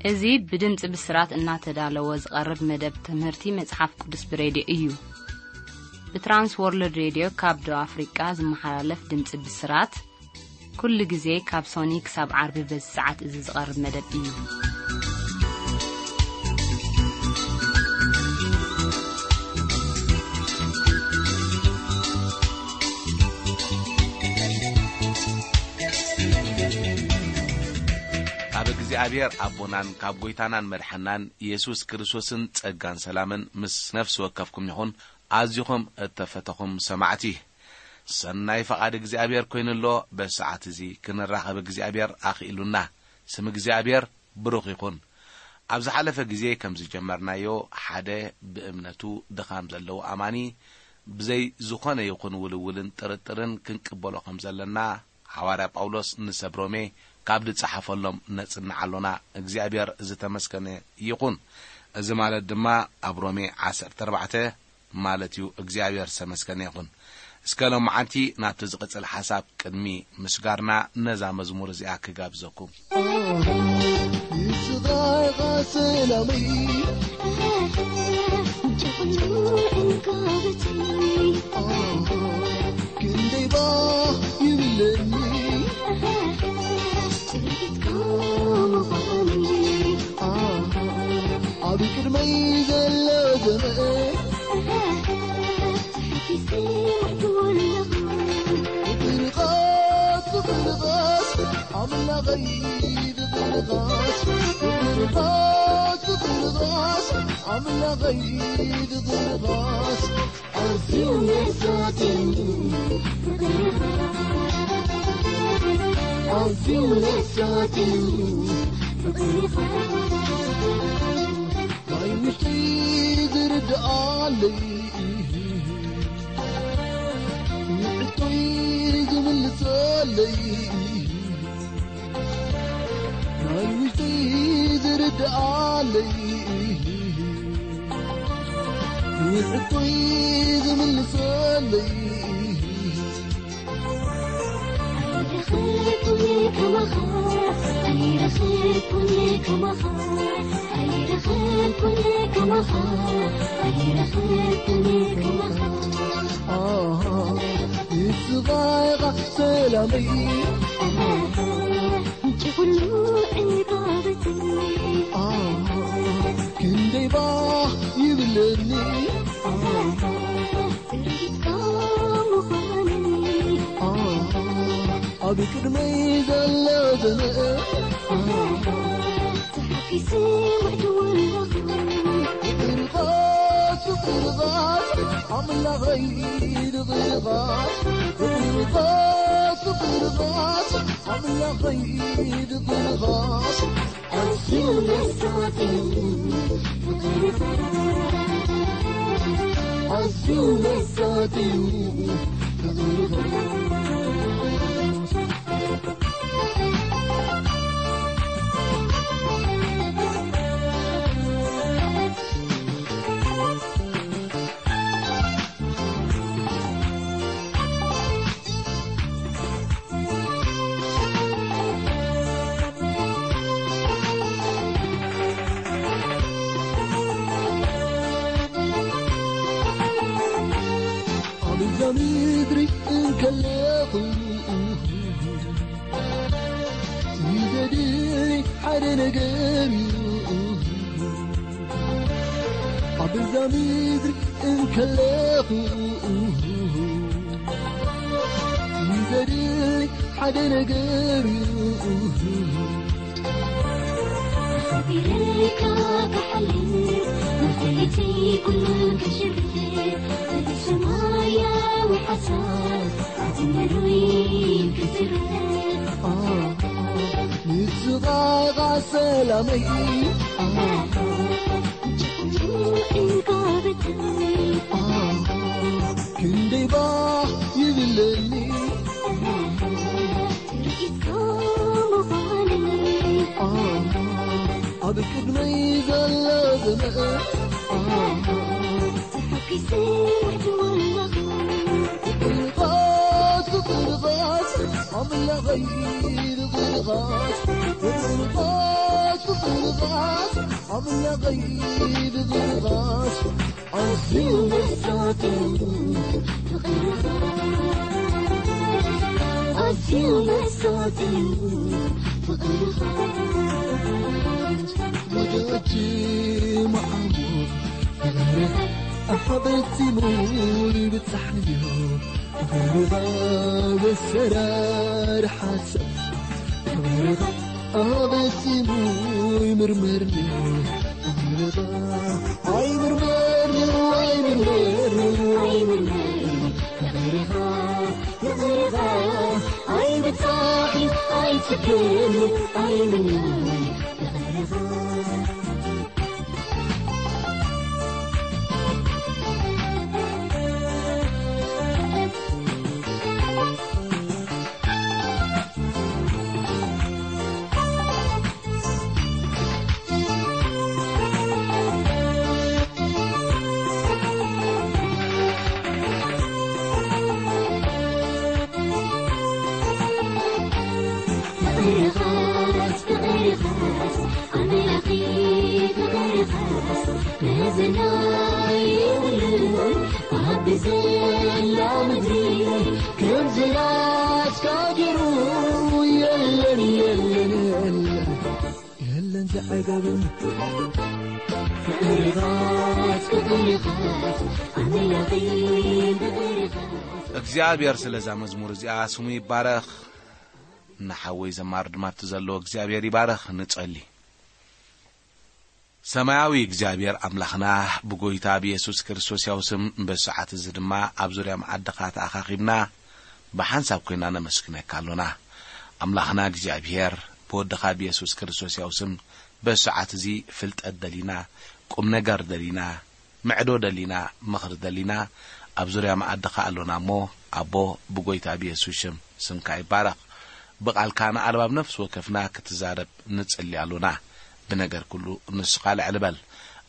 እዚ ብድምጺ ብስራት እናተዳለወ ዝቐርብ መደብ ትምህርቲ መጽሓፍ ቅዱስ ብሬድዮ እዩ። ብትራንስ ወርልድ ሬድዮ ካብ ደቡብ ኣፍሪቃ ዝመሓላለፍ ድምጺ ብስራት፣ ኩሉ ግዜ ካብ ሶኒ ክሳብ ዓርቢ በዚ ሰዓት እዚ ዝቐርብ መደብ እዩ። ካብ እግዚኣብሔር ኣቦናን ካብ ጐይታናን መድሓናን የሱስ ክርስቶስን ጸጋን ሰላምን ምስ ነፍሲ ወከፍኩም ይኹን። ኣዚኹም እተፈተኹም ሰማዕቲ፣ ሰናይ ፈቓድ እግዚኣብሔር ኰይኑ ኣሎ። በዚ ሰዓት እዚ ክንራኸብ እግዚኣብሔር ኣኽኢሉና። ስም እግዚኣብሔር ብሩኽ ይኹን። ኣብ ዝሓለፈ ግዜ ከም ዝጀመርናዮ፣ ሓደ ብእምነቱ ድኻም ዘለዎ ኣማኒ ብዘይ ዝኾነ ይኹን ውልውልን ጥርጥርን ክንቅበሎ ከም ዘለና፣ ሓዋርያ ጳውሎስ ንሰብ ሮሜ ካብ ዝጸሓፈሎም ነጽንዕ ኣሎና። እግዚኣብሔር ዝተመስገነ ይኹን። እዚ ማለት ድማ ኣብ ሮሜ ዓሰርተ ኣርባዕተ ማለት እዩ። እግዚኣብሔር ዝተመስገነ ይኹን። እስከ ሎማዓንቲ ናብቲ ዝቕጽል ሓሳብ ቅድሚ ምስጋርና ነዛ መዝሙር እዚኣ ክጋብዘኩም። ንስኻ ኢኻ ሰላመይ፣ ምንጪ ኩሉ ዕንቃበተይ። ክንደይ ባህ ይብለኒ፣ ጽሬትካ ምዃነይ። ኣብ ቅድመይ ዘሎ ዘመን፣ ተሓፊሰ ምዕድወለኹ። ፍቕርኻስ፣ ፍቕርኻስ፣ ኣምላኸይ ፍቕርኻስ፣ ፍቕርኻስ፣ ፍቕርኻስ፣ ኣምላኸይ ፍቕርኻስ፣ ኣዝዩ መሳጢ ፍቕርኻ፣ ኣዝዩ መሳጢ ፍቕርኻ። ናይ ውሽጠይ ዝርድኣለይ፣ ንሕቶይ ዝምልሰለይ፣ ናይ ውሽጠይ ዝርድኣለይ፣ ንሕቶይ ዝምልሰለይ። ኣይረኸብኩን ከማኻ፣ ኣይረኸብኩን ከማኻ፣ ኣይረኸብኩን ከማኻ፣ ኣይረኸብኩን ከማኻ። ኣሃ፣ ንስኻ ኢኻ ሰላመይ፣ ኣሃ፣ ምንጪ ኩሉ ዕንቃበተይ። ኣሃ፣ ክንደይ ባህ ይብለኒ፣ ኣሃ፣ ጽሬትካ ምዃነይ። ኣሃ፣ ኣብ ቅድመይ ዘሎ ዘመን፣ ኣሃ፣ ተሓፊሰ ምዕድወለኹ። ፍቕርኻስ፣ ፍቕርኻስ፣ ኣምላኸይ ፍቕርኻስ፣ ፍቕርኻስ፣ ፍቕርኻስ፣ ኣምላኸይ ፍቕርኻስ፣ ኣዝዩ መሳጢ ፍቕርኻ፣ ኣዝዩ መሳጢ ፍቕርኻ። ኣብ እዛ ምድሪ እንከለኹ፣ ንዘድሊ ሓደ ነገር እዩ። ኣብ እዛ ምድሪ እንከለኹ፣ ንዘድሊ ሓደ ነገር እዩ። ኣኽቢረካ ክሓልፍ፣ ንኽእለተይ ኩሉ ከሽርፍ፣ እቲ ሰማያዊ ሓሳብ ኣእምሮይ ክዝርፍ። ንስኻ ኢኻ ሰላመይ፣ ምንጪ ኩሉ ዕንቃበተይ። ክንደይ ባህ ይብለኒ፣ ትርኢትካ ምዃነይ። ኣብ ቅድመይ ዘሎ ዘመን፣ ተሓጒሰ ምዕድወለኹ። ፍቕርኻስ፣ ፍቕርኻስ፣ ኣምላኸይ ብቕልቓስ፣ ብቕልቓስ፣ ብቕልቓስ፣ ኣምላኸይ ብቕልቓስ፣ ኣዝዩ መሳጢ እዩ ፍቕርኻ፣ ኣዝዩ መሳጢ እዩ ፍቕርኻ። ወዳጅ መዓሞ ፍቕርኻ ኣሓበሲሙ ይብጻሕ እዩ። ፍቕርኻ ዘሰራርሓ ሰብ፣ ፍቕርኻ ኣበሲሙ ይምርመርኒ። ፍቕርኻ ኣይምርመርኒ፣ ኣይምርመርኒ፣ ኣይምርመርኒ። ፍቕርኻ፣ ፍቕርኻ ኣይብጻሕን ኣይጽገምን፣ ኣይምርመርኒ። ፍቕርኻ ፍቕርኻስ፣ ፍቕርኻስ፣ ኣምላኺ ፍቕርኻስ፣ መዘና የብሉን ኣብ ዘላ ምድሪ፣ ከምዚ ናትካ ገይሩ የለን፣ የለን፣ የለን፣ የለን ዝዓገበ። ፍቕርኻስ፣ ፍቕርኻስ፣ ኣምላኺ ፍቕርኻስ። እግዚኣብሔር ስለዛ መዝሙር እዚኣ ስሙ ይባረኽ። ንሓወይ ዘማሪ ድማ ኣብቲ ዘለዎ እግዚኣብሔር ይባረኽ። ንጸሊ። ሰማያዊ እግዚኣብሔር ኣምላኽና፣ ብጎይታ ብየሱስ ክርስቶስ ያው ስም በዚ ሰዓት እዚ ድማ ኣብ ዙርያ መዓድኻ ተኣኻኺብና ብሓንሳብ ኮይና ነመስግነካ ኣሎና። ኣምላኽና እግዚኣብሔር፣ ብወድኻ ብየሱስ ክርስቶስ ያው ስም በዚ ሰዓት እዚ ፍልጠት ደሊና፣ ቁም ነገር ደሊና፣ ምዕዶ ደሊና፣ ምኽሪ ደሊና፣ ኣብ ዙርያ መኣድኻ ኣሎና እሞ፣ ኣቦ፣ ብጎይታ ብየሱስ ሽም ስምካ ይባረኽ። ብቓልካ ንኣልባብ ነፍሲ ወከፍና ክትዛረብ ንጽሊ ኣሎና። ብነገር ኩሉ ንስኻ ልዕሊ በል።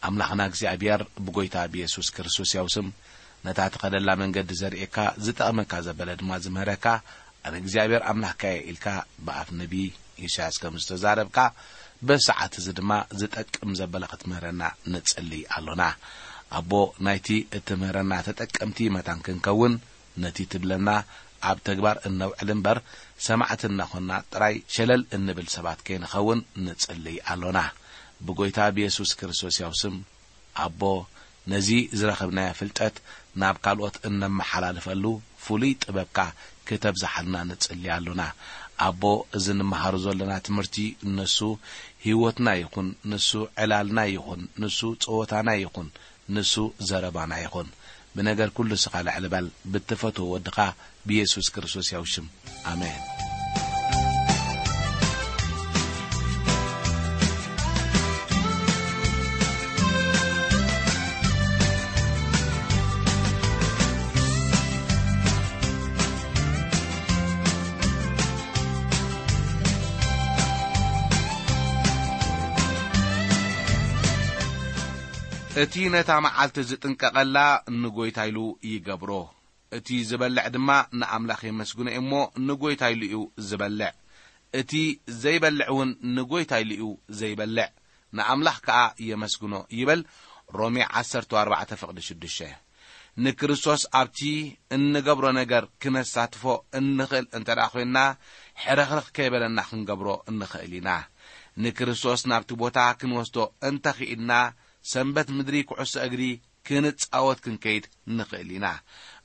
ኣምላኽና እግዚኣብሔር፣ ብጎይታ ብየሱስ ክርስቶስ ያው ስም፣ ነታ ትኸደላ መንገዲ ዘርእየካ፣ ዝጠቕመካ ዘበለ ድማ ዝምህረካ፣ ኣነ እግዚኣብሔር ኣምላኽካ እየ ኢልካ ብኣፍ ነቢ ኢሳያስ ከም ዝተዛረብካ፣ በዚ ሰዓት እዚ ድማ ዝጠቅም ዘበለ ክትምህረና ንጽሊ ኣሎና። ኣቦ፣ ናይቲ እትምህረና ተጠቀምቲ መታን ክንከውን፣ ነቲ ትብለና ኣብ ተግባር እነውዕል እምበር፣ ሰማዕቲ እናኾንና ጥራይ ሸለል እንብል ሰባት ከይንኸውን ንጽሊ ኣሎና። ብጎይታ ብየሱስ ክርስቶስ ያው ስም፣ ኣቦ፣ ነዚ ዝረኸብናዮ ፍልጠት ናብ ካልኦት እነመሓላልፈሉ ፍሉይ ጥበብካ ክተብዝሓልና ንጽሊ ኣሎና። ኣቦ፣ እዚ ንመሃሮ ዘለና ትምህርቲ ንሱ ህይወትና ይኹን፣ ንሱ ዕላልና ይኹን፣ ንሱ ጸወታና ይኹን፣ ንሱ ዘረባና ይኹን። ብነገር ኩሉ ንስኻ ልዕሊ በል፣ ብትፈትዎ ወድኻ ብየሱስ ክርስቶስ ያው ሽም። ኣሜን። እቲ ነታ መዓልቲ ዝጥንቀቐላ ንጎይታ ኢሉ ይገብሮ። እቲ ዝበልዕ ድማ ንኣምላኽ የመስግኖ እዩ እሞ ንጎይታ ኢሉ እዩ ዝበልዕ። እቲ ዘይበልዕ እውን ንጎይታ ኢሉ እዩ ዘይበልዕ፣ ንኣምላኽ ከኣ የመስግኖ ይብል። ሮሜ ዓሰርተ ኣርባዕተ ፍቕዲ ሽዱሽተ። ንክርስቶስ ኣብቲ እንገብሮ ነገር ክነሳትፎ እንኽእል እንተ ደኣ ዄንና፣ ሕርኽርኽ ከይበለና ክንገብሮ እንኽእል ኢና። ንክርስቶስ ናብቲ ቦታ ክንወስዶ እንተ ኽኢልና፣ ሰንበት ምድሪ ኩዕሶ እግሪ ክንጻወት ክንከይድ ንኽእል ኢና።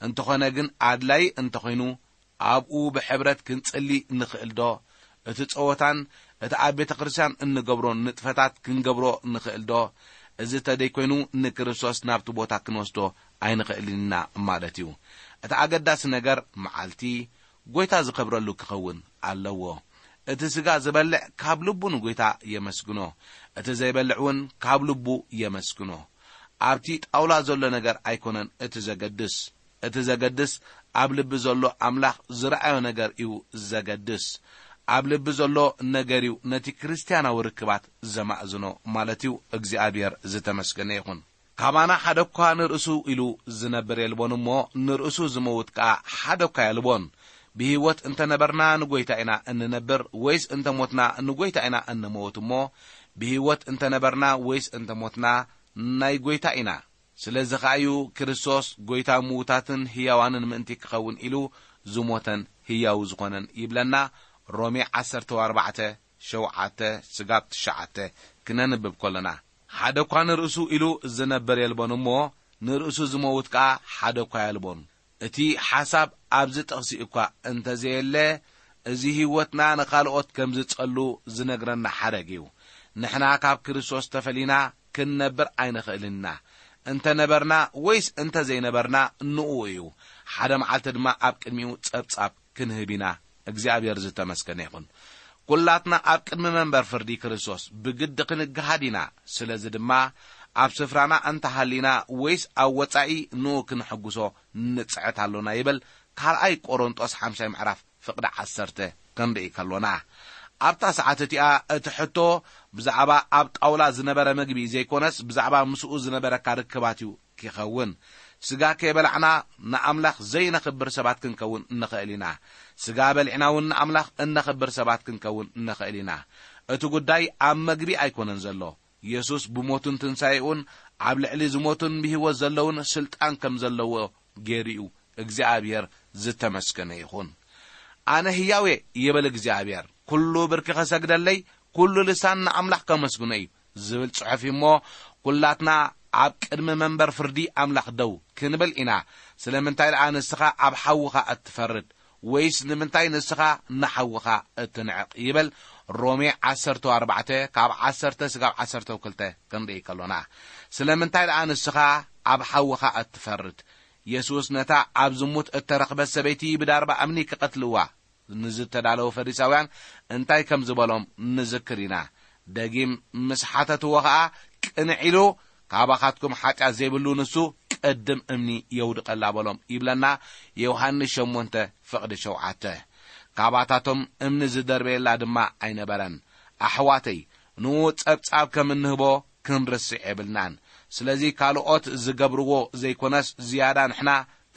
እንተኾነ ግን ኣድላዪ እንተኾይኑ ኣብኡ ብሕብረት ክንጽሊ ንኽእል ዶ? እቲ ጸወታን እቲ ኣብ ቤተ ክርስቲያን እንገብሮ ንጥፈታት ክንገብሮ ንኽእል ዶ? እዚ ተደይኮይኑ ንክርስቶስ ናብቲ ቦታ ክንወስዶ ኣይንኽእልን ኢና ማለት እዩ። እቲ ኣገዳሲ ነገር መዓልቲ ጐይታ ዝኸብረሉ ክኸውን ኣለዎ። እቲ ስጋ ዝበልዕ ካብ ልቡ ንጐይታ የመስግኖ፣ እቲ ዘይበልዕ እውን ካብ ልቡ የመስግኖ። ኣብቲ ጣውላ ዘሎ ነገር ኣይኮነን እቲ ዘገድስ። እቲ ዘገድስ ኣብ ልቢ ዘሎ ኣምላኽ ዝረኣዮ ነገር እዩ ዘገድስ። ኣብ ልቢ ዘሎ ነገር እዩ ነቲ ክርስትያናዊ ርክባት ዘማእዝኖ ማለት እዩ። እግዚኣብሔር ዝተመስገነ ይኹን። ካባና ሓደ እኳ ንርእሱ ኢሉ ዝነብር የልቦን እሞ፣ ንርእሱ ዝመውት ከኣ ሓደ እኳ የልቦን። ብህይወት እንተ ነበርና ንጎይታ ኢና እንነብር፣ ወይስ እንተ ሞትና ንጎይታ ኢና እንመውት እሞ፣ ብህይወት እንተ ነበርና ወይስ እንተ ሞትና ናይ ጎይታ ኢና። ስለዚ ኸኣ እዩ ክርስቶስ ጎይታ ምዉታትን ህያዋንን ምእንቲ ክኸውን ኢሉ ዝሞተን ህያው ዝኾነን ይብለና። ሮሜ ዓሰርተ ኣርባዕተ፣ ሸውዓተ፣ ስጋብ ትሽዓተ ክነንብብ ከሎና፣ ሓደ እኳ ንርእሱ ኢሉ ዝነብር የልቦን እሞ፣ ንርእሱ ዝመውት ከኣ ሓደ እኳ የልቦን። እቲ ሓሳብ ኣብዚ ጥቕሲ እኳ እንተዘየለ፣ እዚ ህይወትና ንኻልኦት ከም ዝጸሉ ዝነግረና ሓረግ እዩ። ንሕና ካብ ክርስቶስ ተፈሊና ክንነብር ኣይንኽእልን ኢና። እንተ ነበርና ወይስ እንተ ዘይነበርና ንእኡ እዩ። ሓደ መዓልቲ ድማ ኣብ ቅድሚኡ ጸብጻብ ክንህብ ኢና። እግዚኣብሔር ዝተመስገነ ይኹን። ኩላትና ኣብ ቅድሚ መንበር ፍርዲ ክርስቶስ ብግዲ ክንገሃድ ኢና። ስለዚ ድማ ኣብ ስፍራና እንተሃሊና ወይስ ኣብ ወጻኢ ንኡ ክንሕጉሶ ንጽዕት ኣሎና ይብል ካልኣይ ቆሮንጦስ ሓምሻይ ምዕራፍ ፍቕዲ ዓሰርተ ክንርኢ ከሎና። ኣብታ ሰዓት እቲኣ እቲ ሕቶ ብዛዕባ ኣብ ጣውላ ዝነበረ ምግቢ ዘይኮነስ ብዛዕባ ምስኡ ዝነበረካ ርክባት እዩ ክኸውን። ስጋ ከይበላዕና ንኣምላኽ ዘይነኽብር ሰባት ክንከውን ንኽእል ኢና። ስጋ በሊዕና እውን ንኣምላኽ እነኽብር ሰባት ክንከውን ንኽእል ኢና። እቲ ጉዳይ ኣብ መግቢ ኣይኮነን ዘሎ። የሱስ ብሞቱን ትንሳኤኡን ኣብ ልዕሊ ዝሞቱን ብህይወት ዘለውን ስልጣን ከም ዘለዎ ገይሩ እዩ። እግዚኣብሔር ዝተመስገነ ይኹን። ኣነ ህያው እየ ይብል እግዚኣብሔር፣ ኩሉ ብርኪ ኸሰግደለይ፣ ኩሉ ልሳን ንኣምላኽ ከመስግኖ እዩ ዝብል ጽሑፍ እዩ እሞ፣ ኩላትና ኣብ ቅድሚ መንበር ፍርዲ ኣምላኽ ደው ክንብል ኢና። ስለምንታይ ደኣ ንስኻ ኣብ ሓውኻ እትፈርድ? ወይስ ንምንታይ ንስኻ ንሓውኻ እትንዕቕ? ይብል ሮሜ ዓሰርተ ኣርባዕተ ካብ ዓሰርተ ስጋብ ዓሰርተ ክልተ ክንርኢ ከሎና። ስለምንታይ ደኣ ንስኻ ኣብ ሓውኻ እትፈርድ? የሱስ ነታ ኣብ ዝሙት እተረኽበት ሰበይቲ ብዳርባ እምኒ ክቐትልዋ ንዝተዳለዉ ፈሪሳውያን እንታይ ከም ዝበሎም ንዝክር ኢና። ደጊም ምስ ሓተትዎ ኸኣ ቅንዕ ኢሉ፣ ካባኻትኩም ሓጢኣት ዘይብሉ ንሱ ቅድም እምኒ የውድቐላ በሎም ይብለና ዮሃንስ ሸሞንተ ፍቕዲ ሸውዓተ። ካባታቶም እምኒ ዝደርበየላ ድማ ኣይነበረን። ኣሕዋተይ፣ ንኡ ጸብጻብ ከም እንህቦ ክንርስዕ የብልናን። ስለዚ ካልኦት ዝገብርዎ ዘይኮነስ ዝያዳ ንሕና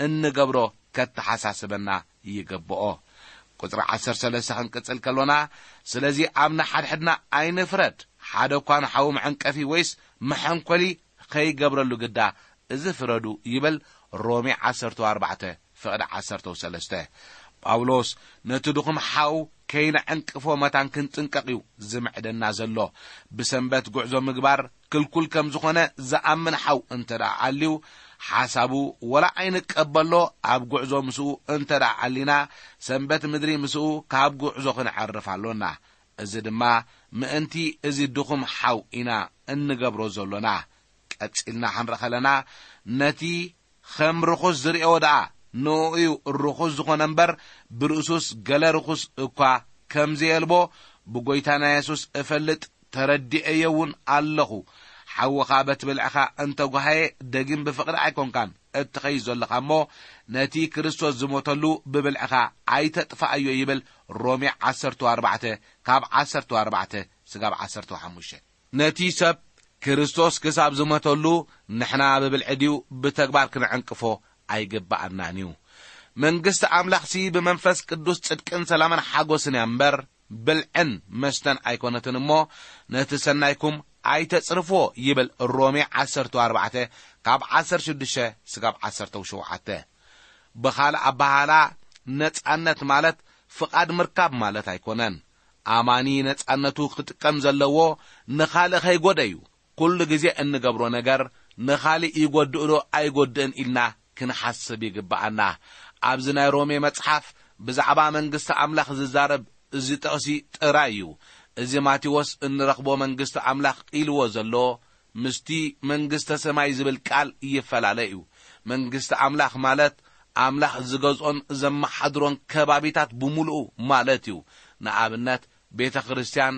እንገብሮ ከተሓሳስበና ይግብኦ። ቁጽሪ ዓሰርተ ሰለስተ ክንቅጽል ከሎና፣ ስለዚ ኣብ ንሓድሕድና ኣይንፍረድ፣ ሓደ እኳ ንሓዉ መዐንቀፊ ወይስ መሐንኮሊ ኸይገብረሉ ግዳ፣ እዚ ፍረዱ ይብል ሮሜ ዓሰርተ ኣርባዕተ ፍቕዲ ዓሰርተ ሰለስተ። ጳውሎስ ነቲ ድኹም ሓው ከይነዐንቅፎ መታን ክንጥንቀቕ እዩ ዝምዕደና ዘሎ። ብሰንበት ጉዕዞ ምግባር ክልኩል ከም ዝኾነ ዝኣምን ሓው እንተ ደኣ ኣልዩ፣ ሓሳቡ ወላ ኣይንቀበሎ፣ ኣብ ጉዕዞ ምስኡ እንተ ደኣ ኣሊና፣ ሰንበት ምድሪ ምስኡ ካብ ጉዕዞ ክንዐርፍ ኣሎና። እዚ ድማ ምእንቲ እዚ ድኹም ሓው ኢና እንገብሮ ዘሎና። ቀጺልና ክንርኢ ከለና፣ ነቲ ከም ርኹስ ዝርእዮ ደኣ ንእኡ እዩ ርኹስ ዝኾነ እምበር፣ ብርእሱስ ገለ ርኹስ እኳ ከም ዘየልቦ ብጐይታና የሱስ እፈልጥ፣ ተረዲኤዮ እውን ኣለኹ። ሓውኻ በቲ ብልዕኻ እንተ ጓሃየ፣ ደጊም ብፍቕሪ ኣይኮንካን እትኸይድ ዘለኻ እሞ፣ ነቲ ክርስቶስ ዝሞተሉ ብብልዕኻ ኣይተጥፍኣዮ ይብል ሮሜ ዓሰርተ ኣርባዕተ ካብ ዓሰርተ ኣርባዕተ ስጋብ ዓሰርተ ሓሙሽተ። ነቲ ሰብ ክርስቶስ ክሳብ ዝሞተሉ ንሕና ብብልዒ ድዩ ብተግባር ክንዕንቅፎ ኣይግብኣናን እዩ። መንግስቲ ኣምላኽሲ ብመንፈስ ቅዱስ ጽድቅን ሰላምን ሓጎስን እያ እምበር፣ ብልዕን መስተን ኣይኮነትን እሞ፣ ነቲ ሰናይኩም ኣይተጽርፍዎ ይብል ሮሜ ዓሰርተ ኣርባዕተ ካብ ዓሰርተ ሽዱሽተ ስጋብ ዓሰርተ ሸውዓተ። ብኻልእ ኣበሃህላ፣ ነጻነት ማለት ፍቓድ ምርካብ ማለት ኣይኮነን። ኣማኒ ነጻነቱ ክጥቀም ዘለዎ ንኻልእ ከይጎደ እዩ። ኩሉ ግዜ እንገብሮ ነገር ንኻልእ ይጎድእ ዶ ኣይጎድእን ኢልና ክንሓስብ ይግብኣና። ኣብዚ ናይ ሮሜ መጽሓፍ ብዛዕባ መንግስቲ ኣምላኽ ዝዛረብ እዚ ጥቕሲ ጥራይ እዩ። እዚ ማቴዎስ እንረኽቦ መንግስቲ ኣምላኽ ኢልዎ ዘሎ ምስቲ መንግስተ ሰማይ ዝብል ቃል ይፈላለ እዩ። መንግስቲ ኣምላኽ ማለት ኣምላኽ ዝገዝኦን ዘመሓድሮን ከባቢታት ብምሉኡ ማለት እዩ። ንኣብነት ቤተ ክርስቲያን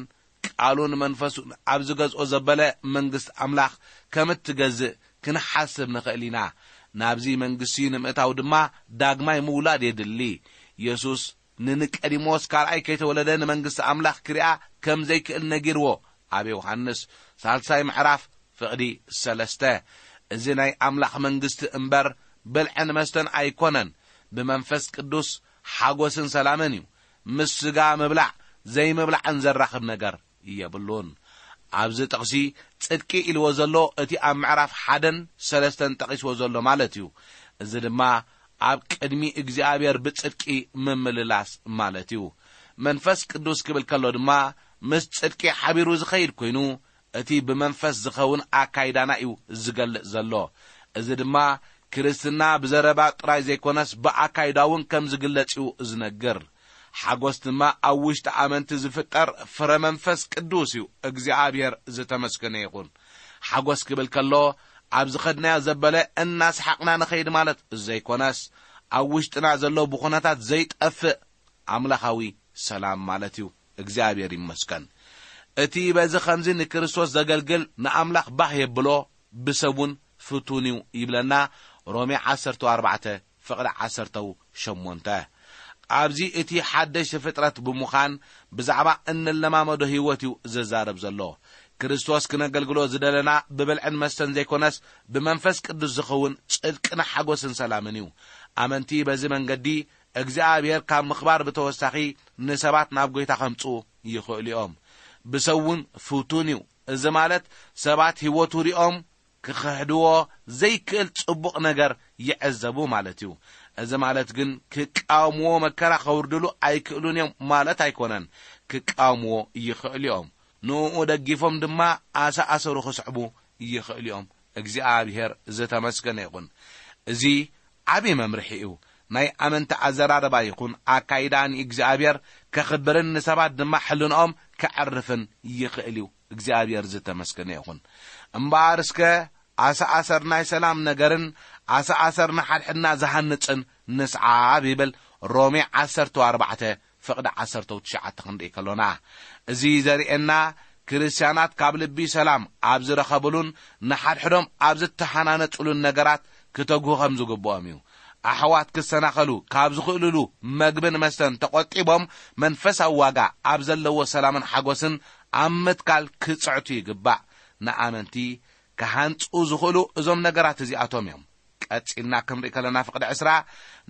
ቃሉን መንፈሱን ኣብ ዝገዝኦ ዘበለ መንግስቲ ኣምላኽ ከም እትገዝእ ክንሓስብ ንኽእል ኢና። ናብዚ መንግስቲ ንምእታው ድማ ዳግማይ ምውላድ የድሊ። የሱስ ንኒቀዲሞስ ካልኣይ ከይተወለደ ንመንግስቲ ኣምላኽ ክሪኣ ከም ዘይክእል ነጊርዎ። ኣብ ዮሃንስ ሳልሳይ ምዕራፍ ፍቕዲ ሰለስተ። እዚ ናይ ኣምላኽ መንግስቲ እምበር ብልዕን መስተን ኣይኮነን። ብመንፈስ ቅዱስ ሓጎስን ሰላምን እዩ። ምስ ስጋ ምብላዕ ዘይምብላዕን ዘራኽብ ነገር የብሉን። ኣብዚ ጥቕሲ ጽድቂ ኢልዎ ዘሎ እቲ ኣብ ምዕራፍ ሓደን ሰለስተን ጠቒስዎ ዘሎ ማለት እዩ። እዚ ድማ ኣብ ቅድሚ እግዚኣብሔር ብጽድቂ ምምልላስ ማለት እዩ። መንፈስ ቅዱስ ክብል ከሎ ድማ ምስ ጽድቂ ሓቢሩ ዝኸይድ ኮይኑ፣ እቲ ብመንፈስ ዝኸውን ኣካይዳና እዩ ዝገልጽ ዘሎ። እዚ ድማ ክርስትና ብዘረባ ጥራይ ዘይኮነስ ብኣካይዳ እውን ከም ዝግለጽ እዩ ዝነግር። ሓጎስ ድማ ኣብ ውሽጢ ኣመንቲ ዝፍጠር ፍረ መንፈስ ቅዱስ እዩ። እግዚኣብሔር ዝተመስገነ ይኹን። ሓጎስ ክብል ከሎ ኣብ ዝኸድናዮ ዘበለ እናሰሓቕና ንኸይድ ማለት ዘይኮነስ፣ ኣብ ውሽጥና ዘሎ ብኹነታት ዘይጠፍእ ኣምላኻዊ ሰላም ማለት እዩ። እግዚኣብሔር ይመስገን። እቲ በዚ ኸምዚ ንክርስቶስ ዘገልግል ንኣምላኽ ባህ የብሎ፣ ብሰብ እውን ፍቱን እዩ ይብለና ሮሜ ዓሰርተ ኣርባዕተ ፍቕዲ ዓሰርተ ሸሞንተ። ኣብዚ እቲ ሓደሽ ፍጥረት ብምዃን ብዛዕባ እንለማመዶ ህይወት እዩ ዝዛረብ ዘሎ። ክርስቶስ ክነገልግሎ ዝደለና ብብልዕን መስተን ዘይኮነስ ብመንፈስ ቅዱስ ዝኸውን ጽድቅን ሓጎስን ሰላምን እዩ። ኣመንቲ በዚ መንገዲ እግዚኣብሔር ካብ ምኽባር ብተወሳኺ ንሰባት ናብ ጐይታ ከምጽኡ ይኽእሉ እዮም። ብሰብ እውን ፍቱን እዩ። እዚ ማለት ሰባት ህይወቱ ሪኦም ክኽሕድዎ ዘይክእል ጽቡቕ ነገር ይዕዘቡ ማለት እዩ። እዚ ማለት ግን ክቃወምዎ መከራ ከውርድሉ ኣይክእሉን እዮም ማለት ኣይኮነን። ክቃወምዎ ይኽእሉ እዮም። ንእኡ ደጊፎም ድማ ኣሰኣሰሩ ክስዕቡ ይኽእሉ እዮም። እግዚኣብሔር ዝተመስገነ ይኹን። እዚ ዓቢ መምርሒ እዩ። ናይ ኣመንቲ ኣዘራርባ ይኹን ኣካይዳ ንእግዚኣብሔር ከኽብርን ንሰባት ድማ ሕልንኦም ከዕርፍን ይኽእል እዩ። እግዚኣብሔር ዝተመስገነ ይኹን። እምበኣር እስከ ኣሰኣሰር ናይ ሰላም ነገርን ኣሰኣሰር ንሓድሕድና ዝሃንጽን ንስዓብ ይብል ሮሜ ዓሰርተ ኣርባዕተ ፍቕዲ ዓሰርተ ትሽዓተ ክንርኢ ከሎና። እዚ ዘርእየና ክርስትያናት ካብ ልቢ ሰላም ኣብ ዝረኸብሉን ንሓድሕዶም ኣብ ዝተሓናነጹሉን ነገራት ክተግሁ ከም ዝግብኦም እዩ። ኣሕዋት ክሰናኸሉ ካብ ዝኽእልሉ መግብን መስተን ተቖጢቦም መንፈሳዊ ዋጋ ኣብ ዘለዎ ሰላምን ሓጎስን ኣብ ምትካል ክጽዕቱ ይግባእ። ንኣመንቲ ክሃንጹ ዝኽእሉ እዞም ነገራት እዚኣቶም እዮም። ቀጺልና ክንርኢ ከለና ፍቕዲ ዕስራ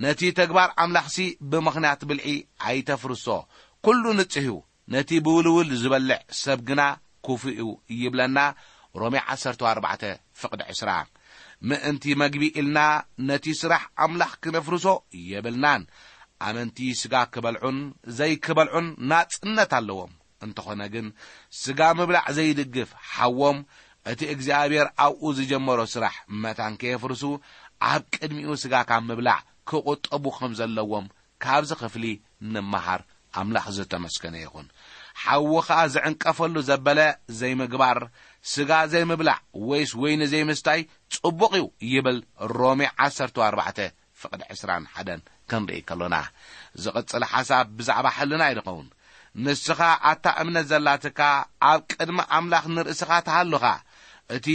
ነቲ ተግባር ኣምላኽሲ ብምኽንያት ብልዒ ኣይተፍርሶ፣ ኩሉ ንጽህ እዩ፣ ነቲ ብውልውል ዝበልዕ ሰብ ግና ክፉእ እዩ ይብለና ሮሜ ዓሰርተ ኣርባዕተ ፍቕዲ ዕስራ። ምእንቲ መግቢ ኢልና ነቲ ስራሕ ኣምላኽ ክነፍርሶ የብልናን። ኣመንቲ ስጋ ክበልዑን ዘይክበልዑን ናጽነት ኣለዎም። እንተኾነ ግን ስጋ ምብላዕ ዘይድግፍ ሓዎም እቲ እግዚኣብሔር ኣብኡ ዝጀመሮ ስራሕ መታን ከየፍርሱ ኣብ ቅድሚኡ ስጋ ካብ ምብላዕ ክቑጠቡ ከም ዘለዎም ካብዚ ክፍሊ ንመሃር። ኣምላኽ ዝተመስገነ ይኹን። ሓዊ ኸኣ ዝዕንቀፈሉ ዘበለ ዘይምግባር፣ ስጋ ዘይምብላዕ ወይስ ወይኒ ዘይምስታይ ጽቡቕ እዩ ይብል ሮሜ ዓሰርተ ኣርባዕተ ፍቕዲ ዕስራን ሓደን ክንርኢ ከሎና። ዝቕጽል ሓሳብ ብዛዕባ ሕልና እዩ ዝኸውን። ንስኻ ኣታ እምነት ዘላትካ ኣብ ቅድሚ ኣምላኽ ንርእስኻ ትሃሉኻ። እቲ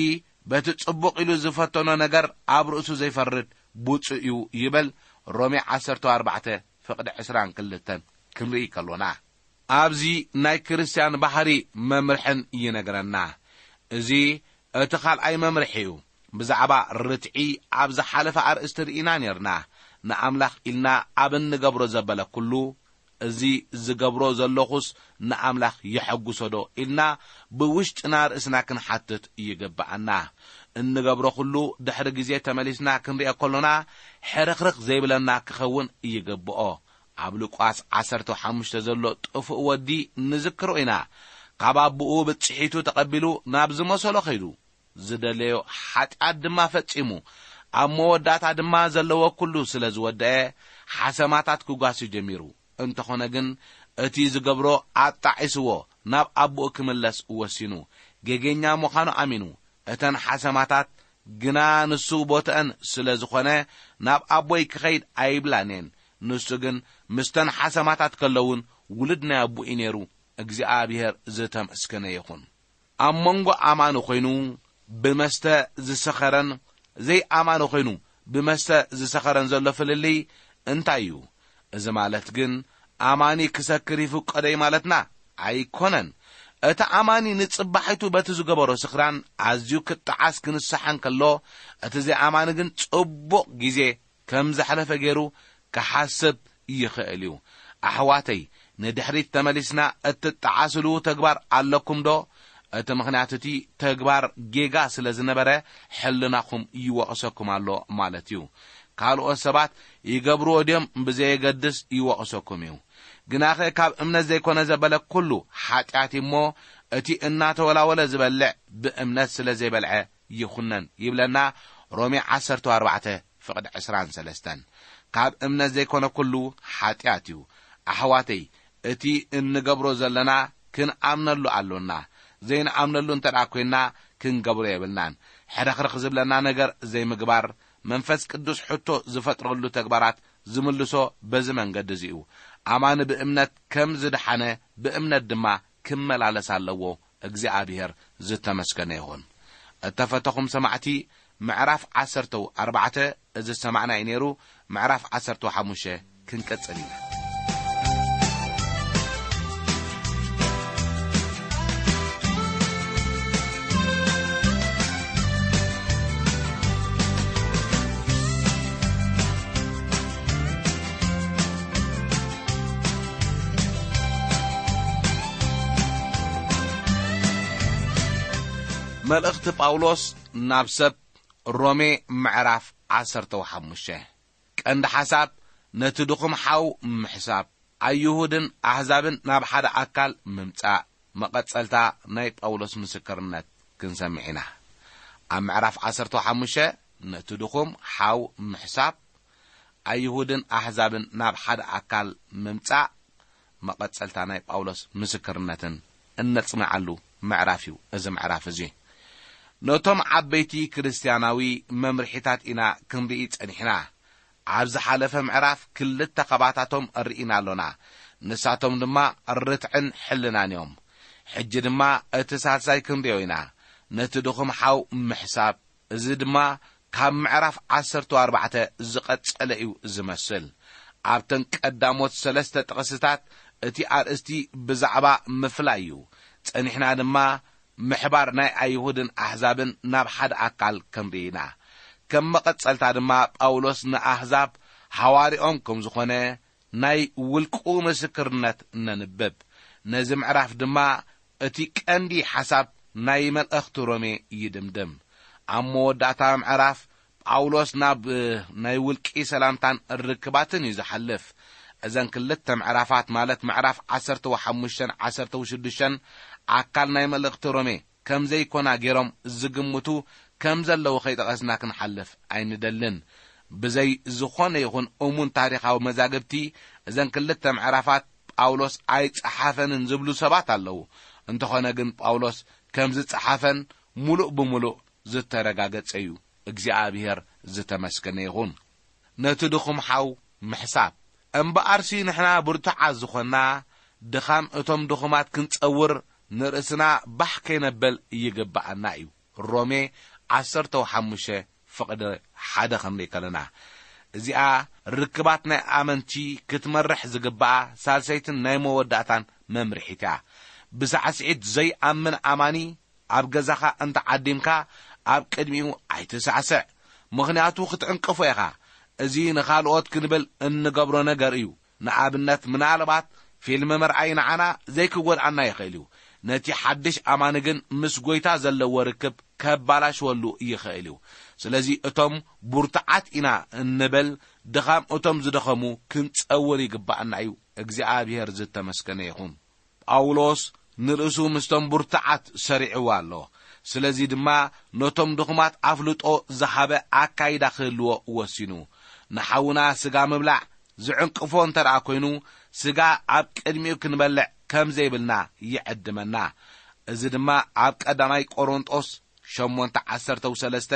በቲ ጽቡቕ ኢሉ ዝፈተኖ ነገር ኣብ ርእሱ ዘይፈርድ ብፁዕ እዩ ይብል ሮሜ ዓሰርተ ኣርባዕተ ፍቕዲ ዕስራን ክልተን ክንርኢ ከሎና። ኣብዚ ናይ ክርስትያን ባህሪ መምርሕን ይነግረና። እዚ እቲ ካልኣይ መምርሒ እዩ። ብዛዕባ ርትዒ ኣብ ዝሓለፈ ኣርእስቲ ርኢና ኔርና። ንኣምላኽ ኢልና ኣብ እንገብሮ ዘበለ ኩሉ፣ እዚ ዝገብሮ ዘለኹስ ንኣምላኽ የሐጉሶ ዶ ኢልና ብውሽጥና ርእስና ክንሓትት ይግብኣና። እንገብሮ ኩሉ ድሕሪ ግዜ ተመሊስና ክንሪኦ ከሎና ሕርኽርኽ ዘይብለና ክኸውን ይግብኦ። ኣብ ሉቃስ ዓሰርተ ሓሙሽተ ዘሎ ጥፉእ ወዲ ንዝክሮ ኢና። ካብ ኣቦኡ ብጽሒቱ ተቐቢሉ ናብ ዝመሰሎ ኸይዱ፣ ዝደለዮ ሓጢኣት ድማ ፈጺሙ፣ ኣብ መወዳእታ ድማ ዘለዎ ኩሉ ስለ ዝወደአ፣ ሓሰማታት ክጓሲ ጀሚሩ። እንተኾነ ግን፣ እቲ ዝገብሮ ኣጣዒስዎ ናብ ኣቦኡ ክምለስ ወሲኑ። ጌገኛ ምዃኑ ኣሚኑ። እተን ሓሰማታት ግና ንሱ ቦትአን ስለ ዝኾነ፣ ናብ ኣቦይ ክኸይድ ኣይብላን እየን። ንሱ ግን ምስተን ሓሰማታት ከለውን ውሉድ ናይ ኣቦኡ እዩ ነይሩ። እግዚኣብሔር ዝተመስገነ ይኹን። ኣብ መንጎ ኣማኒ ኾይኑ ብመስተ ዝሰኸረን ዘይኣማኒ ኾይኑ ብመስተ ዝሰኸረን ዘሎ ፍልልይ እንታይ እዩ? እዚ ማለት ግን ኣማኒ ክሰክር ይፍቀዶ እዩ ማለትና ኣይኮነን። እቲ ኣማኒ ንጽባሒቱ በቲ ዝገበሮ ስኽራን ኣዝዩ ክጠዓስ ክንሰሓ እንከሎ፣ እቲ ዘይኣማኒ ግን ጽቡቕ ግዜ ከም ዘሕለፈ ገይሩ ክሓስብ ይኽእል እዩ። ኣሕዋተይ፣ ንድሕሪት ተመሊስና እትጠዓስሉ ተግባር ኣለኩም ዶ? እቲ ምኽንያት እቲ ተግባር ጌጋ ስለ ዝነበረ ሕልናኹም ይወቕሰኩም ኣሎ ማለት እዩ። ካልኦት ሰባት ይገብርዎ ድዮም ብዘየገድስ ይወቕሰኩም እዩ። ግናኸ ካብ እምነት ዘይኮነ ዘበለ ኩሉ ሓጢኣት እዩ እሞ፣ እቲ እናተወላወለ ዝበልዕ ብእምነት ስለ ዘይበልዐ ይኹነን ይብለና ሮሜ ዓሰርተ ኣርባዕተ ፍቕዲ ዕስራን ሰለስተን። ካብ እምነት ዘይኮነ ኩሉ ሓጢኣት እዩ። ኣሕዋተይ፣ እቲ እንገብሮ ዘለና ክንኣምነሉ ኣሎና። ዘይንኣምነሉ እንተ ደኣ ኮይንና ክንገብሮ የብልናን። ሕርኽርኽ ዝብለና ነገር ዘይምግባር፣ መንፈስ ቅዱስ ሕቶ ዝፈጥረሉ ተግባራት ዝምልሶ በዚ መንገዲ እዚ እዩ። ኣማኒ ብእምነት ከም ዝደሓነ ብእምነት ድማ ክመላለስ ኣለዎ። እግዚኣብሔር ዝተመስገነ ይኹን። እተፈተኹም ሰማዕቲ፣ ምዕራፍ ዓሰርተ ኣርባዕተ እዚ ዝሰማዕና እዩ ነይሩ። ምዕራፍ ዓሰርተ ሓሙሽተ ክንቅጽል ኢና። መልእኽቲ ጳውሎስ ናብ ሰብ ሮሜ ምዕራፍ ዓሰርተ ሓሙሽተ። ቀንዲ ሓሳብ ነቲ ድኹም ሓው ምሕሳብ፣ ኣይሁድን ኣህዛብን ናብ ሓደ ኣካል ምምጻእ፣ መቐጸልታ ናይ ጳውሎስ ምስክርነት ክንሰምዕ ኢና። ኣብ ምዕራፍ ዓሰርተ ሓሙሽተ ነቲ ድኹም ሓው ምሕሳብ፣ ኣይሁድን ኣህዛብን ናብ ሓደ ኣካል ምምጻእ፣ መቐጸልታ ናይ ጳውሎስ ምስክርነትን እነጽንዓሉ ምዕራፍ እዩ። እዚ ምዕራፍ እዚ ነቶም ዓበይቲ ክርስትያናዊ መምርሒታት ኢና ክንርኢ ጸኒሕና። ኣብ ዝሓለፈ ምዕራፍ ክልተ ኻባታቶም ርኢና ኣሎና። ንሳቶም ድማ ርትዕን ሕልናን እዮም። ሕጂ ድማ እቲ ሳልሳይ ክንርእዮ ኢና። ነቲ ድኹም ሓው ምሕሳብ። እዚ ድማ ካብ ምዕራፍ ዓሰርተ ኣርባዕተ ዝቐጸለ እዩ ዝመስል። ኣብተን ቀዳሞት ሰለስተ ጥቕስታት እቲ ኣርእስቲ ብዛዕባ ምፍላይ እዩ። ጸኒሕና ድማ ምሕባር ናይ ኣይሁድን ኣሕዛብን ናብ ሓደ ኣካል ክንርኢ ኢና። ከም መቐጸልታ ድማ ጳውሎስ ንኣሕዛብ ሃዋርኦም ከም ዝኾነ ናይ ውልቁ ምስክርነት ነንብብ። ነዚ ምዕራፍ ድማ እቲ ቀንዲ ሓሳብ ናይ መልእኽቲ ሮሜ ይድምድም። ኣብ መወዳእታ ምዕራፍ ጳውሎስ ናብ ናይ ውልቂ ሰላምታን ርክባትን እዩ ዝሓልፍ። እዘን ክልተ ምዕራፋት፣ ማለት ምዕራፍ ዓሰርተ ሓሙሽተን ዓሰርተ ሽዱሽተን፣ ኣካል ናይ መልእኽቲ ሮሜ ከም ዘይኮና ገይሮም ዝግምቱ ከም ዘለዉ ከይጠቐስና ክንሓልፍ ኣይንደልን። ብዘይ ዝኾነ ይኹን እሙን ታሪኻዊ መዛግብቲ፣ እዘን ክልተ ምዕራፋት ጳውሎስ ኣይጸሓፈንን ዝብሉ ሰባት ኣለዉ። እንተኾነ ግን ጳውሎስ ከም ዝጸሓፈን ምሉእ ብምሉእ ዝተረጋገጸ እዩ። እግዚኣብሔር ዝተመስገነ ይኹን። ነቲ ድኹም ሓው ምሕሳብ። እምበኣርሲ ንሕና ብርቱዓት ዝኾንና፣ ድኻም እቶም ድኹማት ክንጸውር፣ ንርእስና ባሕ ከይነበል ይግብኣና እዩ። ሮሜ ዓሰርተ ሓሙሽተ ፍቕዲ ሓደ ክንርኢ ከለና፣ እዚኣ ርክባት ናይ ኣመንቲ ክትመርሕ ዝግብኣ ሳልሰይትን ናይ መወዳእታን መምርሒት እያ። ብሳዕስዒት ዘይኣምን ኣማኒ ኣብ ገዛኻ እንተ ዓዲምካ፣ ኣብ ቅድሚኡ ኣይትሳዕስዕ፣ ምኽንያቱ ክትዕንቅፎ ኢኻ። እዚ ንኻልኦት ክንብል እንገብሮ ነገር እዩ። ንኣብነት፣ ምናልባት ፊልም ምርኣይ ንዓና ዘይክጎድኣና ይኽእል እዩ። ነቲ ሓድሽ ኣማኒ ግን ምስ ጐይታ ዘለዎ ርክብ ከባላሽወሉ ይኽእል እዩ። ስለዚ እቶም ብርቱዓት ኢና እንብል፣ ድኻም እቶም ዝደኸሙ ክንጸውር ይግብኣና እዩ። እግዚኣብሔር ዝተመስገነ ይኹን። ጳውሎስ ንርእሱ ምስቶም ብርቱዓት ሰሪዕዎ ኣሎ። ስለዚ ድማ ነቶም ድኹማት ኣፍልጦ ዝሃበ ኣካይዳ ክህልዎ ወሲኑ። ንሓውና ስጋ ምብላዕ ዝዕንቅፎ እንተ ደኣ ኮይኑ፣ ስጋ ኣብ ቅድሚኡ ክንበልዕ ከም ዘይብልና ይዕድመና። እዚ ድማ ኣብ ቀዳማይ ቆሮንጦስ ሸሞንተ ዓሰርተ ሰለስተ፣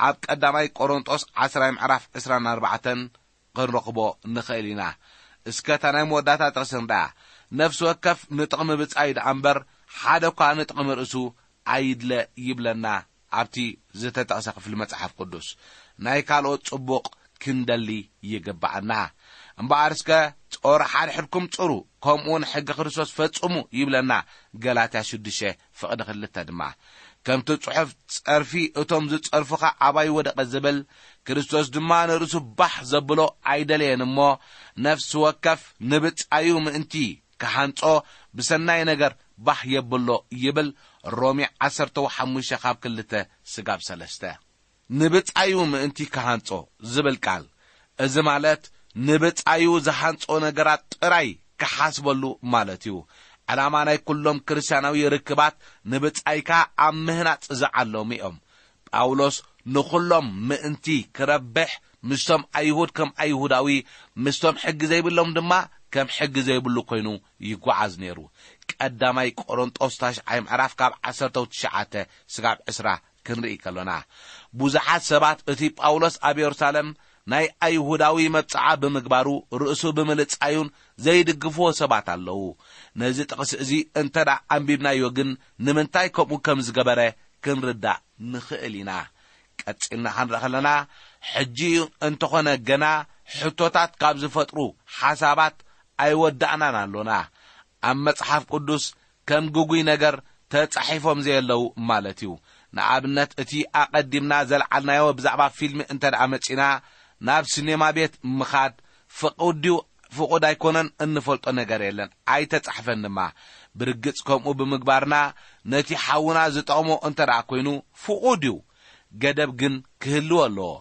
ኣብ ቀዳማይ ቆሮንጦስ ዓስራይ ምዕራፍ ዕስራን ኣርባዕተን ክንረኽቦ ንኽእል ኢና። እስከ እታ ናይ መወዳእታ ጥቕሲ ንርኣ። ነፍሲ ወከፍ ንጥቕሚ ብጻዩ ደኣ እምበር፣ ሓደ እኳ ንጥቕሚ ርእሱ ኣይድለ ይብለና ኣብቲ ዝተጠቕሰ ክፍሊ መጽሓፍ ቅዱስ። ናይ ካልኦት ጽቡቕ ክንደሊ ይግብኣና። እምበኣር እስከ ጾር ሓድሕድኩም ጽሩ፣ ከምኡውን ሕጊ ክርስቶስ ፈጽሙ ይብለና ገላትያ ሽዱሽተ ፍቕዲ ክልተ ድማ። ከምቲ ጽሑፍ፣ "ጸርፊ እቶም ዝጸርፉኻ ኣባይ ወደቐ" ዝብል፣ ክርስቶስ ድማ ንርእሱ ባህ ዘብሎ ኣይደለየን እሞ፣ ነፍሲ ወከፍ ንብጻዩ ምእንቲ ክሃንጾ ብሰናይ ነገር ባህ የብሎ ይብል። ሮሜ ዓሰርተ ሓሙሽተ ካብ ክልተ ስጋብ ሰለስተ። ንብጻዩ ምእንቲ ክሃንጾ ዝብል ቃል፣ እዚ ማለት ንብጻዩ ዝሃንጾ ነገራት ጥራይ ክሓስበሉ ማለት እዩ። ዕላማ ናይ ኩሎም ክርስትያናዊ ርክባት ንብጻይካ ኣብ ምህናጽ ዝዓለሙ እዮም። ጳውሎስ ንኹሎም ምእንቲ ክረብሕ፣ ምስቶም ኣይሁድ ከም ኣይሁዳዊ፣ ምስቶም ሕጊ ዘይብሎም ድማ ከም ሕጊ ዘይብሉ ኮይኑ ይጓዓዝ ነይሩ። ቀዳማይ ቆሮንጦስ ታሽዓይ ምዕራፍ ካብ ዓሰርተ ትሽዓተ ስጋብ ዕስራ ክንርኢ ከሎና፣ ብዙሓት ሰባት እቲ ጳውሎስ ኣብ የሩሳሌም ናይ ኣይሁዳዊ መብጽዓ ብምግባሩ፣ ርእሱ ብምልጻዩን ዘይድግፍዎ ሰባት ኣለዉ። ነዚ ጥቕሲ እዚ እንተ ደኣ ኣንቢብናዮ ግን፣ ንምንታይ ከምኡ ከም ዝገበረ ክንርዳእ ንኽእል ኢና። ቀጺልና ክንርኢ ከለና፣ ሕጂ እንተኾነ ገና ሕቶታት ካብ ዝፈጥሩ ሓሳባት ኣይወዳእናን ኣሎና። ኣብ መጽሓፍ ቅዱስ ከም ግጉይ ነገር ተጻሒፎም ዘየለዉ ማለት እዩ። ንኣብነት፣ እቲ ኣቐዲምና ዘልዓልናዮ ብዛዕባ ፊልም እንተ ደኣ መጺና፣ ናብ ሲኔማ ቤት ምኻድ ፍቑድ ድዩ ፍቑድ ኣይኮነን እንፈልጦ ነገር የለን፣ ኣይተጻሕፈን ድማ። ብርግጽ ከምኡ ብምግባርና ነቲ ሓውና ዝጠቕሞ እንተ ደኣ ኮይኑ ፍቑድ እዩ። ገደብ ግን ክህልዎ ኣለዎ።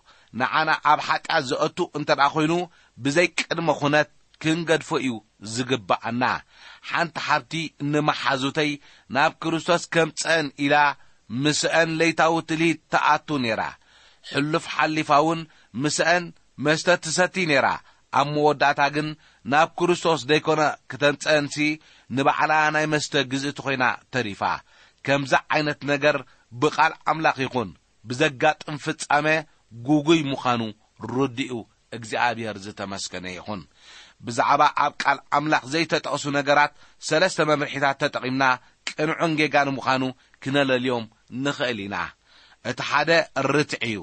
ንዓና ኣብ ሓጢኣት ዘእቱ እንተ ደኣ ኮይኑ፣ ብዘይ ቅድመ ኩነት ክንገድፎ እዩ ዝግብኣና። ሓንቲ ሓብቲ ንመሓዙተይ ናብ ክርስቶስ ከምጽአን ኢላ ምስአን ለይታዊ ትልሂት ትኣቱ ነይራ። ሕሉፍ ሓሊፋ እውን ምስአን መስተ ትሰቲ ነይራ። ኣብ መወዳእታ ግን ናብ ክርስቶስ ደይኮነ ክተምጽአንሲ፣ ንባዕላ ናይ መስተ ግዝእቲ ኮይና ተሪፋ። ከምዚ ዓይነት ነገር ብቓል ኣምላኽ ይኹን ብዘጋጥም ፍጻመ ግጉይ ምዃኑ ርድኡ እግዚኣብሔር ዝተመስገነ ይኹን። ብዛዕባ ኣብ ቃል ኣምላኽ ዘይተጠቕሱ ነገራት ሰለስተ መምርሒታት ተጠቒምና ቅንዑን ጌጋን ምዃኑ ክነለልዮም ንኽእል ኢና። እቲ ሓደ ርትዒ እዩ።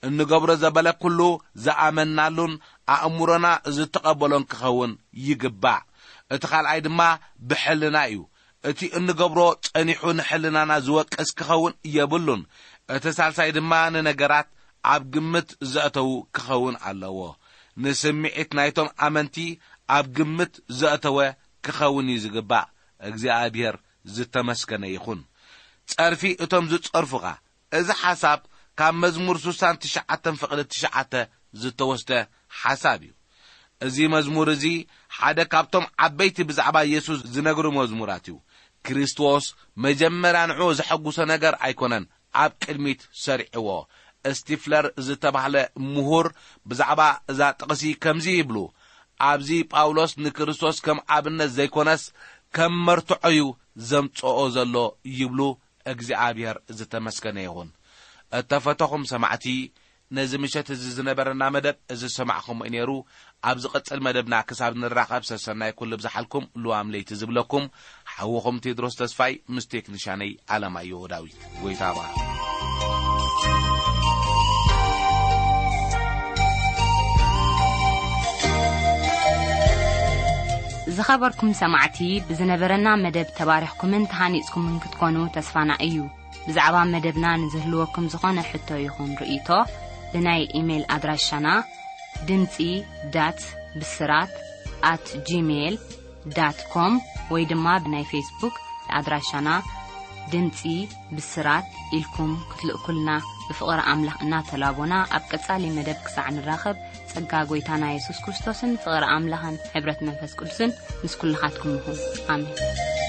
እንገብሮ ዘበለ ኩሉ ዝኣመንናሉን ኣእምሮና ዝተቐበሎን ክኸውን ይግባእ። እቲ ካልኣይ ድማ ብሕልና እዩ። እቲ እንገብሮ ጸኒሑ ንሕልናና ዝወቅስ ክኸውን የብሉን። እቲ ሳልሳይ ድማ ንነገራት ኣብ ግምት ዘእተዉ ክኸውን ኣለዎ። ንስምዒት ናይቶም ኣመንቲ ኣብ ግምት ዘእተወ ክኸውን እዩ ዝግባእ። እግዚኣብሔር ዝተመስገነ ይኹን። ጸርፊ እቶም ዝጸርፉኻ። እዚ ሓሳብ ካብ መዝሙር ስሳን ትሽዓተን ፍቕዲ ትሽዓተ ዝተወስደ ሓሳብ እዩ። እዚ መዝሙር እዚ ሓደ ካብቶም ዓበይቲ ብዛዕባ የሱስ ዝነግሩ መዝሙራት እዩ። ክርስቶስ መጀመርያ ንዕኡ ዘሐጉሶ ነገር ኣይኮነን ኣብ ቅድሚት ሰሪዕዎ። ስቲፍለር ዝተባህለ ምሁር ብዛዕባ እዛ ጥቕሲ ከምዚ ይብሉ፣ "ኣብዚ ጳውሎስ ንክርስቶስ ከም ኣብነት ዘይኮነስ ከም መርትዖ እዩ ዘምጽኦ ዘሎ" ይብሉ። እግዚኣብሔር ዝተመስገነ ይኹን። እተፈተኹም ሰማዕቲ፣ ነዚ ምሸት እዚ ዝነበረና መደብ እዚ ዝሰማዕኹም እዩ ነይሩ። ኣብ ዝቕጽል መደብና ክሳብ ንራኸብ ሰሰናይ ኩሉ ብዝሓልኩም ልዋም ለይቲ ዝብለኩም ሓውኹም ቴድሮስ ተስፋይ ምስ ቴክኒሻነይ ኣለማየሁ ዳዊት። ጎይታ ይባርኽ። ዝኸበርኩም ሰማዕቲ፣ ብዝነበረና መደብ ተባሪኽኩምን ተሃኒጽኩምን ክትኮኑ ተስፋና እዩ። ብዛዕባ መደብና ንዝህልወኩም ዝኾነ ሕቶ ይኹን ርእይቶ፣ ብናይ ኢሜይል ኣድራሻና ድምጺ ዳት ብስራት ኣት ጂሜይል ዳት ኮም ወይ ድማ ብናይ ፌስቡክ ኣድራሻና ድምጺ ብስራት ኢልኩም ክትልእኩልና ብፍቕሪ ኣምላኽ እናተላቦና፣ ኣብ ቀጻሊ መደብ ክሳዕ ንራኸብ፣ ጸጋ ጎይታና የሱስ ክርስቶስን ፍቕሪ ኣምላኽን ሕብረት መንፈስ ቅዱስን ምስ ኩልኻትኩም ይኹን። ኣሜን።